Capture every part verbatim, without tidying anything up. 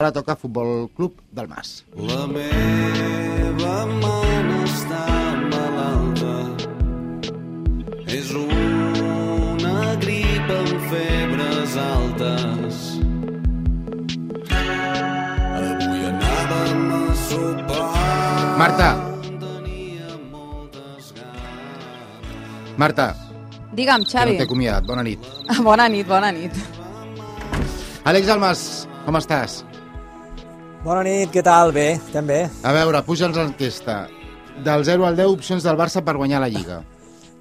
Ara toca Futbol Club del Mas. La meva mare està malalta, és una grip amb febres altes. Avui anàvem a sopar. Marta. Marta. Digue'm, Xavi. Que no t'he acomiadat. Bona nit. Bona nit, bona nit. Àlex Almas, com estàs? Bona nit, què tal? Bé, estem bé. A veure, puja'ns l'enquesta. Del zero al deu, opcions del Barça per guanyar la Lliga.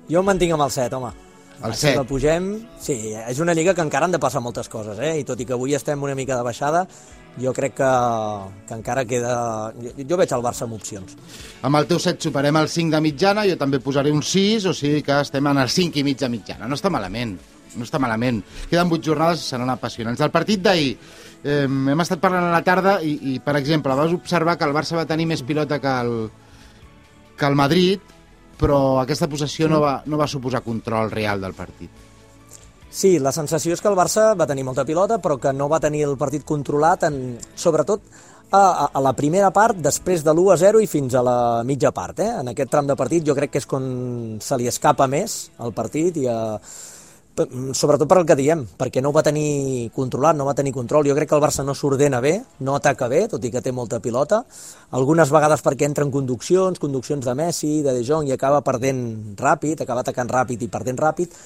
Jo em mantinc amb el set, home. El Si set. la pugem, sí, és una lliga que encara han de passar moltes coses, eh? I tot i que avui estem una mica de baixada, jo crec que, que encara queda... Jo, jo veig el Barça amb opcions. Amb el teu set superem el cinc de mitjana, jo també posaré un sis, o sigui que estem en el cinc i mig de mitjana. No està malament, no està malament. Queden vuit jornades i seran apassionants. Del partit d'ahir, eh, hem estat parlant a la tarda i, i, per exemple, vas observar que el Barça va tenir més pilota que el, que el Madrid, però aquesta possessió no va, no va suposar control real del partit. Sí, la sensació és que el Barça va tenir molta pilota, però que no va tenir el partit controlat, en, sobretot a, a, a la primera part, després de l'u a zero i fins a la mitja part. Eh? En aquest tram de partit jo crec que és quan se li escapa més el partit, i a, sobretot per el que diem, perquè no ho va tenir controlat, no va tenir control. Jo crec que el Barça no s'ordena bé, no ataca bé, tot i que té molta pilota, algunes vegades perquè entra en conduccions, conduccions de Messi, de De Jong, i acaba perdent ràpid, acaba atacant ràpid i perdent ràpid,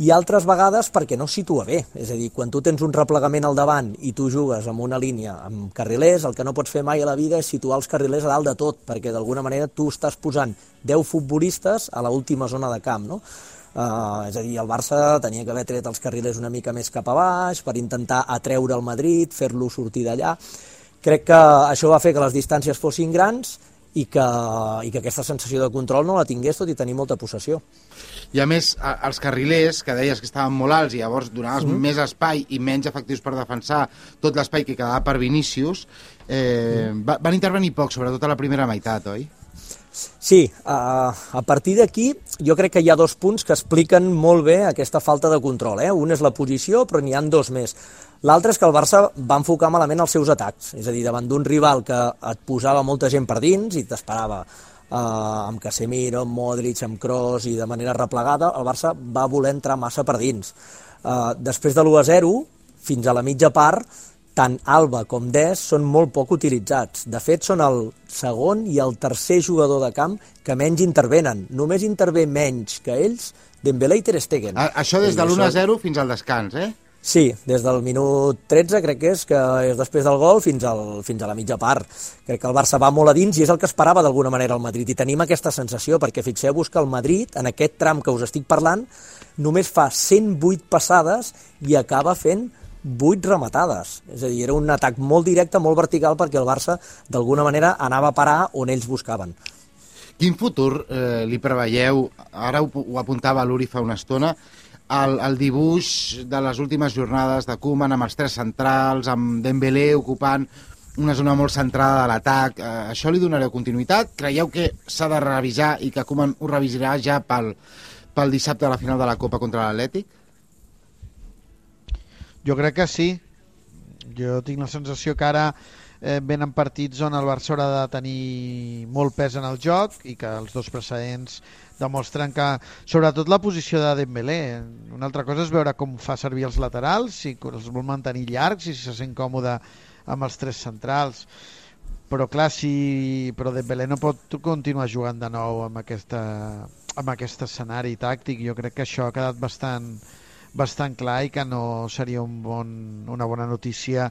i altres vegades perquè no situa bé. És a dir, quan tu tens un replegament al davant i tu jugues amb una línia amb carrilers, el que no pots fer mai a la vida és situar els carrilers a dalt de tot, perquè d'alguna manera tu estàs posant deu futbolistes a l'última zona de camp, no? Uh, és a dir, el Barça tenia que haver tret els carrilers una mica més cap a baix per intentar atreure el Madrid, fer-lo sortir d'allà. Crec que això va fer que les distàncies fossin grans i que, i que aquesta sensació de control no la tingués, tot i tenir molta possessió. I a més, els carrilers, que deies que estaven molt alts i llavors donaves mm. més espai i menys efectius per defensar tot l'espai que quedava per Vinícius, eh, mm. va, van intervenir poc, sobretot a la primera meitat, oi? Sí, a, a partir d'aquí jo crec que hi ha dos punts que expliquen molt bé aquesta falta de control. Eh? Un és la posició, però n'hi ha dos més. L'altre és que el Barça va enfocar malament els seus atacs, és a dir, davant d'un rival que et posava molta gent per dins i t'esperava eh, amb Casemiro, amb Modric, amb Kroos i de manera replegada, el Barça va voler entrar massa per dins. Eh, després de l'u a zero, fins a la mitja part, tant Alba com Dest són molt poc utilitzats. De fet, són el segon i el tercer jugador de camp que menys intervenen. Només intervé menys que ells Dembélé i Ter Stegen. A, això des de l'u a zero fins al descans, eh? Sí, des del minut tretze, crec que és, que és després del gol, fins, al, fins a la mitja part. Crec que el Barça va molt a dins i és el que esperava d'alguna manera el Madrid. I tenim aquesta sensació, perquè fixeu-vos que el Madrid, en aquest tram que us estic parlant, només fa cent vuit passades i acaba fent vuit rematades. És a dir, era un atac molt directe, molt vertical, perquè el Barça d'alguna manera anava a parar on ells buscaven. Quin futur eh, li preveieu? Ara ho, ho apuntava l'Uri fa una estona, el, el dibuix de les últimes jornades de Koeman amb els tres centrals, amb Dembélé ocupant una zona molt centrada de l'atac. Eh, això li donareu continuïtat? Creieu que s'ha de revisar i que Koeman ho revisarà ja pel, pel dissabte a la final de la Copa contra l'Atlètic? Jo crec que sí. Jo tinc la sensació que ara eh, venen partits on el Barça haurà de tenir molt pes en el joc i que els dos precedents demostren que, sobretot la posició de Dembélé, una altra cosa és veure com fa servir els laterals, si els vol mantenir llargs i si se sent còmode amb els tres centrals. Però clar, si però Dembélé no pot continuar jugant de nou amb, aquesta, amb aquest escenari tàctic. Jo crec que això ha quedat bastant bastant clar i que no seria un bon, una bona notícia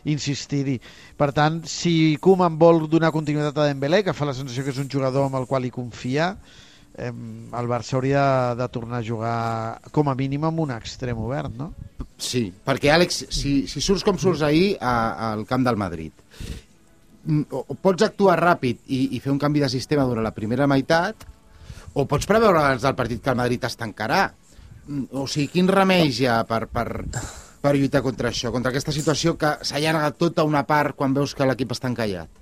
insistir-hi. Per tant, si Koeman vol donar continuïtat a Dembélé, que fa la sensació que és un jugador amb el qual hi confia, eh, el Barça hauria de, de tornar a jugar com a mínim amb un extrem obert, no? Sí, perquè Àlex, si, si surts com surts ahir a, al camp del Madrid, o, o pots actuar ràpid i, i fer un canvi de sistema durant la primera meitat, o pots preveure abans del partit que el Madrid es tancarà. O sigui, quin remei hi ha per, per, per lluitar contra això, contra aquesta situació que s'allarga tota una part quan veus que l'equip està encallat?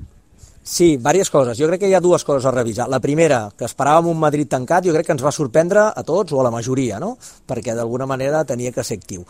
Sí, diverses coses. Jo crec que hi ha dues coses a revisar. La primera, que esperàvem un Madrid tancat, jo crec que ens va sorprendre a tots o a la majoria, no? Perquè d'alguna manera tenia que ser actiu.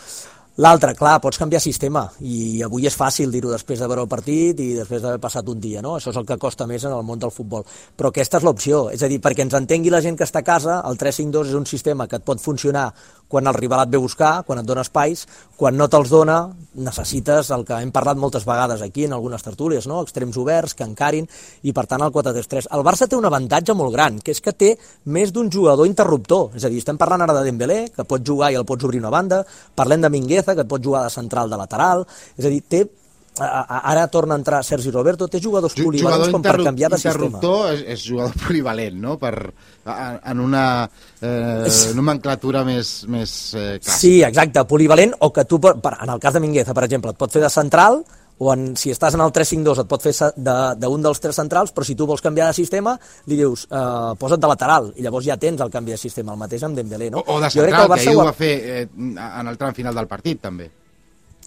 L'altre, clar, pots canviar sistema, i avui és fàcil dir-ho després de veure el partit i després d'haver passat un dia, no? Això és el que costa més en el món del futbol. Però aquesta és l'opció, és a dir, perquè ens entengui la gent que està a casa, el tres cinc dos és un sistema que et pot funcionar quan el rival et ve a buscar, quan et dona espais, quan no te'ls dona, necessites el que hem parlat moltes vegades aquí en algunes tertúlies, no? Extrems oberts, que encarin, i per tant el quatre tres tres. El Barça té un avantatge molt gran, que és que té més d'un jugador interruptor, és a dir, estem parlant ara de Dembélé, que pot jugar i el pots obrir una banda, parlem de Mingueza, que et pot jugar de central, de lateral, és a dir, té, ara torna a entrar Sergi Roberto, té jugadors polivalents com per canviar de sistema. Interruptor és, és jugador polivalent, no? Per, en una eh, nomenclatura més, més eh, clàssica. Sí, exacte, polivalent, o que tu, per, en el cas de Mingueza, per exemple, et pot fer de central, o en, si estàs en el tres cinc dos et pot fer d'un dels tres centrals, però si tu vols canviar de sistema, li dius, eh, posa't de lateral, i llavors ja tens el canvi de sistema, el mateix amb Dembélé, no? O, o de central, que, que ahir ho va fer eh, en el tram final del partit, també.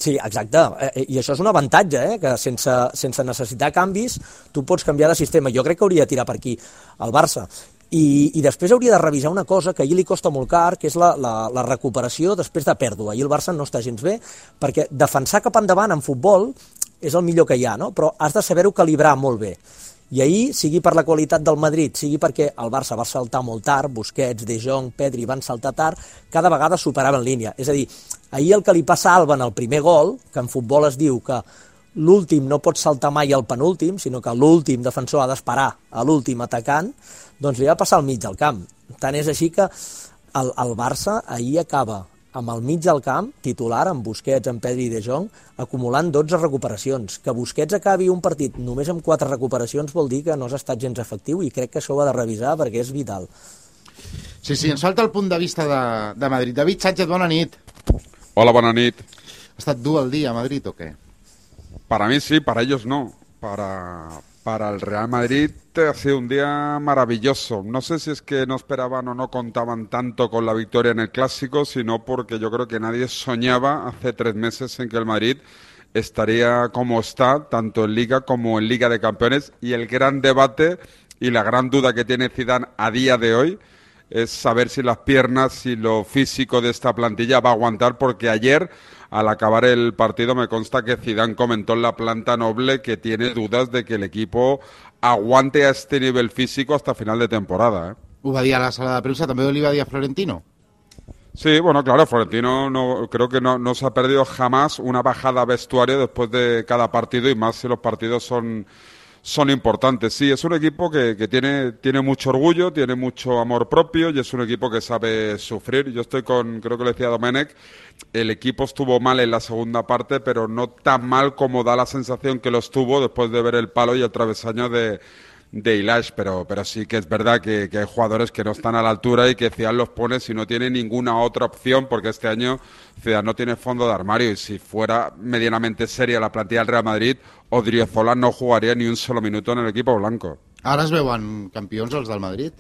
Sí, exacte, eh, i això és un avantatge, eh, que sense, sense necessitar canvis tu pots canviar de sistema. Jo crec que hauria de tirar per aquí el Barça. I, i després hauria de revisar una cosa que ahir li costa molt car, que és la, la, la recuperació després de pèrdua. Ahir el Barça no està gens bé, perquè defensar cap endavant en futbol és el millor que hi ha, no? Però has de saber-ho calibrar molt bé. I ahir, sigui per la qualitat del Madrid, sigui perquè el Barça va saltar molt tard, Busquets, De Jong, Pedri van saltar tard, cada vegada superaven línia. És a dir, ahir el que li passa a Alba en el primer gol, que en futbol es diu que l'últim no pot saltar mai al penúltim, sinó que l'últim defensor ha d'esperar a l'últim atacant, doncs li va passar al mig del camp. Tant és així que el, el Barça ahir acaba amb el mig del camp, titular, amb Busquets, amb Pedri i De Jong, acumulant dotze recuperacions. Que Busquets acabi un partit només amb quatre recuperacions vol dir que no has estat gens efectiu, i crec que això ho ha de revisar perquè és vital. Sí, sí, ens falta el punt de vista de, de Madrid. David Sánchez, bona nit. Hola, bona nit. Ha estat dur el dia a Madrid o què? Para mí sí, para ellos no. Para, para el Real Madrid ha sido un día maravilloso. No sé si es que no esperaban o no contaban tanto con la victoria en el Clásico, sino porque yo creo que nadie soñaba hace tres meses en que el Madrid estaría como está, tanto en Liga como en Liga de Campeones. Y el gran debate y la gran duda que tiene Zidane a día de hoy es saber si las piernas, si lo físico de esta plantilla va a aguantar, porque ayer, al acabar el partido, me consta que Zidane comentó en la planta noble que tiene dudas de que el equipo aguante a este nivel físico hasta final de temporada. ¿eh? Ho va dir a la sala de premsa, també li va dir a Florentino. Sí, bueno, claro, Florentino no, creo que no, no se ha perdido jamás una bajada a vestuario después de cada partido, y más si los partidos son... son importantes. Sí, es un equipo que, que tiene, tiene mucho orgullo, tiene mucho amor propio, y es un equipo que sabe sufrir. Yo estoy con, creo que lo decía Domenech, el equipo estuvo mal en la segunda parte, pero no tan mal como da la sensación que lo estuvo después de ver el palo y el travesaño de, de Ilaix, pero, pero sí que es verdad que, que hay jugadores que no están a la altura y que Zidane los pone si no tiene ninguna otra opción, porque este año Zidane no tiene fondo de armario, y si fuera medianamente seria la plantilla del Real Madrid, Odriozola no jugaria ni un solo minuto en el equipo blanco. Ara es veuen campions els del Madrid?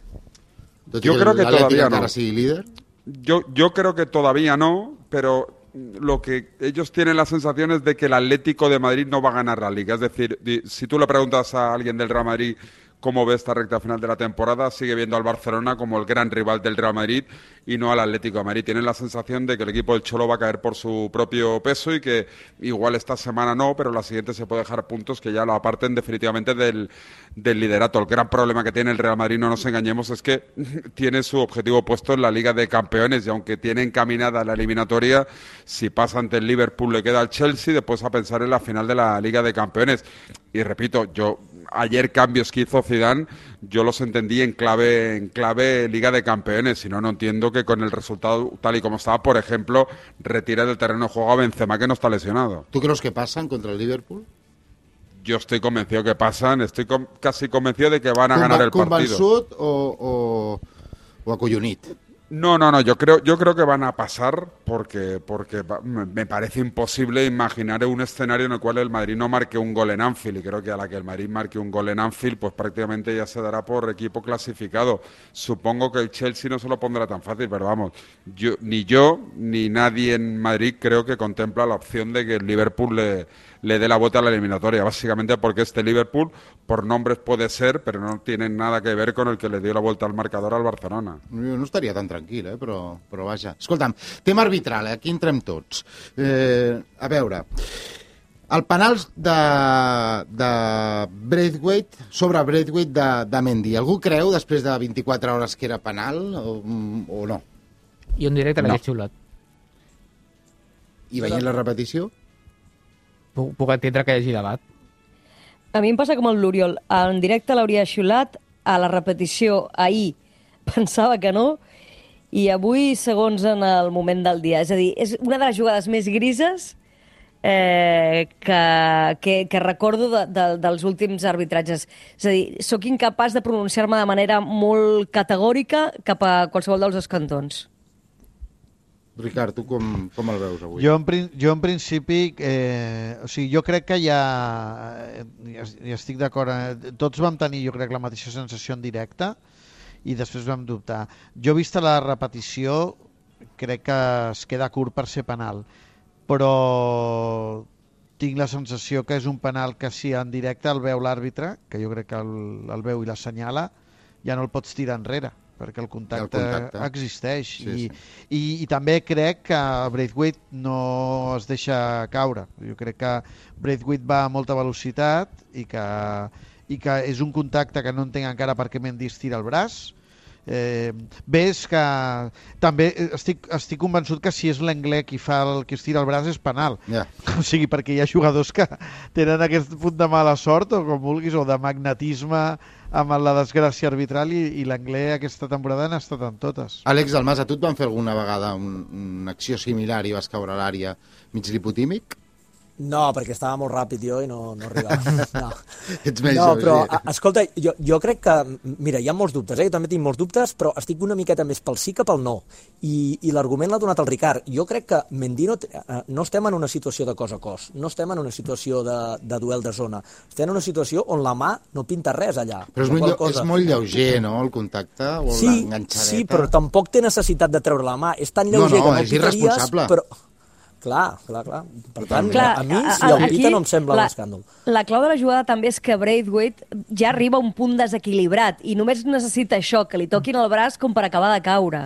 Tot yo creo que todavía no. Sigui líder? Yo, yo creo que todavía no, pero lo que ellos tienen la sensación es de que el Atlético de Madrid no va a ganar la Liga. Es decir, si tú le preguntas a alguien del Real Madrid cómo ve esta recta final de la temporada, sigue viendo al Barcelona como el gran rival del Real Madrid y no al Atlético de Madrid. Tienen la sensación de que el equipo del Cholo va a caer por su propio peso, y que igual esta semana no, pero la siguiente se puede dejar puntos que ya lo aparten definitivamente del, del liderato. El gran problema que tiene el Real Madrid, no nos engañemos, es que tiene su objetivo puesto en la Liga de Campeones, y aunque tiene encaminada la eliminatoria, si pasa ante el Liverpool le queda al Chelsea, después a pensar en la final de la Liga de Campeones. Y repito, yo ayer cambios que hizo Zidane, yo los entendí en clave, en clave Liga de Campeones, si no, no entiendo que con el resultado tal y como estaba, por ejemplo, retire del terreno de juego a Benzema, que no está lesionado. ¿Tú crees que pasan contra el Liverpool? Yo estoy convencido que pasan, estoy com casi convencido de que van a Conva ganar el partido. ¿Convençut o, o, o acollonit? No, no, no, yo creo, yo creo que van a pasar, porque, porque me parece imposible imaginar un escenario en el cual el Madrid no marque un gol en Anfield, y creo que a la que el Madrid marque un gol en Anfield, pues prácticamente ya se dará por equipo clasificado. Supongo que el Chelsea no se lo pondrá tan fácil, pero vamos, yo, ni yo ni nadie en Madrid creo que contempla la opción de que el Liverpool le, le dé la vuelta a la eliminatoria, básicamente porque este Liverpool, por nombres puede ser, pero no tiene nada que ver con el que le dio la vuelta al marcador al Barcelona. Jo no estaria tan tranquil, eh? però, però vaja. Escolta'm, tema arbitral, eh? Aquí entrem tots. Eh, a veure, el penal de, de Braithwaite, sobre Braithwaite de, de Mendy, algú creu després de vint-i-quatre hores que era penal o, o no? Jo en directe l'hagués No. xiulat. I veient la repetició? Puc, puc entendre que hi hagi debat. A mi em passa com el l'Oriol. En directe l'hauria xiulat, a la repetició ahir pensava que no, i avui segons en el moment del dia. És a dir, és una de les jugades més grises eh, que, que, que recordo de, de, dels últims arbitratges. És a dir, sóc incapaç de pronunciar-me de manera molt categòrica cap a qualsevol dels dos cantons. Ricard, tu com, com el veus avui? Jo en, prin- jo en principi, eh, o sigui, jo crec que ja, ja, ja estic d'acord, eh, tots vam tenir, jo crec, la mateixa sensació en directe i després vam dubtar. Jo, vista la repetició, crec que es queda curt per ser penal, però tinc la sensació que és un penal que si en directe el veu l'àrbitre, que jo crec que el, el veu i l'assenyala, ja no el pots tirar enrere, perquè el contacte, El contacte. existeix. Sí, I, sí. I, I també crec que Braithwaite no es deixa caure. Jo crec que Braithwaite va a molta velocitat i que, i que és un contacte que no entenc encara per què Mendy estira el braç. Eh, bé, és que també estic, estic convençut que si és l'Anglès qui fa el, qui estira el braç és penal. Ja. O sigui, perquè hi ha jugadors que tenen aquest punt de mala sort o com vulguis, o de magnetisme amb la desgràcia arbitral, i, i l'Anglès aquesta temporada n'ha estat en totes. Àlex Dalmas, a tu et van fer alguna vegada un, una acció similar i vas caure a l'àrea mig lipotímic? No, perquè estava molt ràpid jo i no, no arribava. No, Ets més no jove, però, sí. a, escolta, jo, jo crec que... Mira, hi ha molts dubtes, eh? Jo també tinc molts dubtes, però estic una miqueta més pel sí que pel no. I, i l'argument l'ha donat el Ricard. Jo crec que Mendy no, no estem en una situació de cos a cos, no estem en una situació de, de duel de zona. Estem en una situació on la mà no pinta res allà. Però és La molt, qual lleu- cosa- és molt lleuger, no?, el contacte o Sí, l'enganxadeta. sí, però tampoc té necessitat de treure la mà. És tan No, lleuger no, que no és el pitaries, irresponsable. però... Clar, clar, clar. Per tant, Clar, a mi, a- si a- el aquí pita, no em sembla la- un escàndol. La clau de la jugada també és que Braithwaite ja arriba a un punt desequilibrat i només necessita això, que li toquin el braç com per acabar de caure.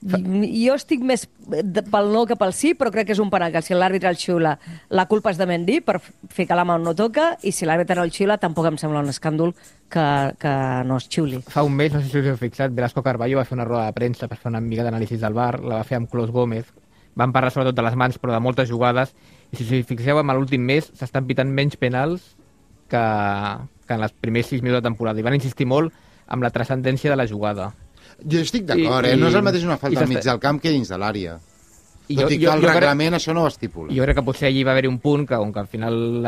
I- Jo estic més de- pel no que pel sí, però crec que és un penal, que si l'àrbitre el xiula, la culpa és de Mendy per fer que la mà no toca, i si l'àrbitre no el xiula, tampoc em sembla un escàndol que, que no es xiuli. Fa un mes, no sé si us heu fixat, Velasco Carballo va fer una roda de premsa per fer una mica d'anàlisis del V A R, la va fer amb Clos Gómez, van parlar sobretot de les mans, però de moltes jugades, i si us fixeu, en l'últim mes s'estan pitant menys penals que, que en els primers sis minuts de temporada, i van insistir molt amb la transcendència de la jugada. Jo estic d'acord, eh? I- No és el mateix una i falta al s'està- mig del camp que dins de l'àrea. I Tot jo- i que jo- el jo crec- reglament això no ho estipula. Jo crec que potser allí va haver-hi un punt que, on que al final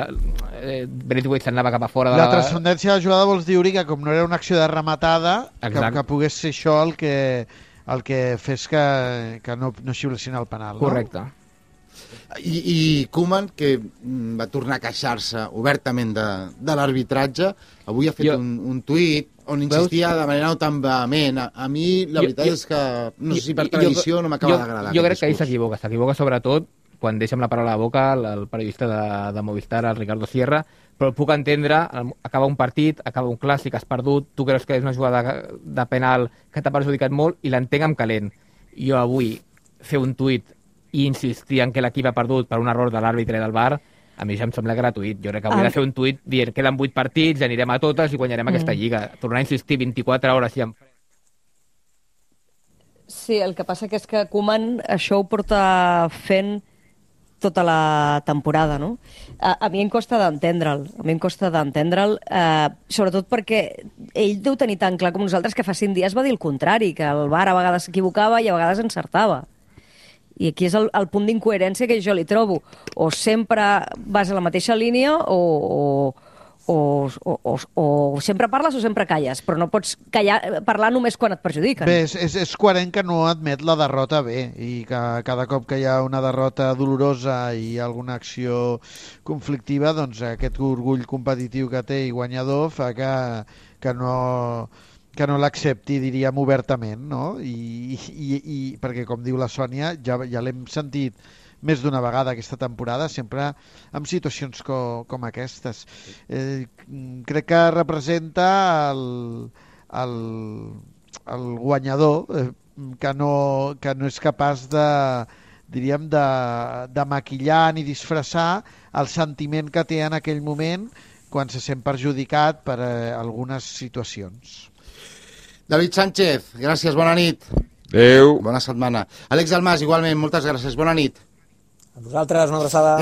eh, Braithwaite s'anava cap a fora de La la... transcendència de la jugada vols dir, Uri, que com no era una acció de rematada, que, Exacte. que pogués ser això el que, el que fes que, que no, no xiulessin el penal, no? Correcte. I, i Koeman, que mm, va tornar a queixar-se obertament de, de l'arbitratge, avui ha fet Jo- un, un tuit on insistia de manera no tan vehement. A, a mi la Jo- veritat jo- és que, no sé si per Jo- tradició jo- no m'acaba jo- d'agradar. Jo aquest crec que ell discurs. s'equivoca, s'equivoca sobretot quan deixa amb la paraula a la boca el, el periodista de, de Movistar, el Ricardo Sierra, però el puc entendre, el- acaba un partit, acaba un clàssic, has perdut, tu creus que és una jugada de penal que t'ha perjudicat molt i l'entenc amb calent. Jo avui fer un tuit i insistir en que l'equip ha perdut per un error de l'àrbitre i del V A R, a mi ja em sembla gratuït. Jo crec que hauria Ah. de fer un tuit dient queden vuit partits, anirem a totes i guanyarem Mm. aquesta lliga. Tornar a insistir vint-i-quatre hores i en... Sí, el que passa que és que Koeman això ho porta fent tota la temporada, no? A, a mi em costa d'entendre'l, a mi em costa d'entendre'l, eh, sobretot perquè ell deu tenir tan clar com nosaltres que fa cinc dies va dir el contrari, que el V A R a vegades s'equivocava i a vegades encertava. I aquí és el, el punt d'incoherència que jo li trobo. O sempre vas a la mateixa línia o, o, o, o, o, o sempre parles o sempre calles, però no pots callar, parlar només quan et perjudiquen. Bé, és, és, és coherent que no admet la derrota bé i que cada cop que hi ha una derrota dolorosa i alguna acció conflictiva, doncs aquest orgull competitiu que té i guanyador fa que, que no... que no l'accepti, diríem, obertament, no? I, i, i perquè, com diu la Sònia, ja, ja l'hem sentit més d'una vegada aquesta temporada, sempre en situacions co, com aquestes. Eh, crec que representa el, el, el guanyador eh, que, no, que no és capaç de, diríem, de, de maquillar ni disfressar el sentiment que té en aquell moment quan se sent perjudicat per eh, algunes situacions. David Sánchez, gràcies, bona nit. Adéu. Bona setmana. Àlex Dalmas, igualment, moltes gràcies, bona nit. A vosaltres, una abraçada.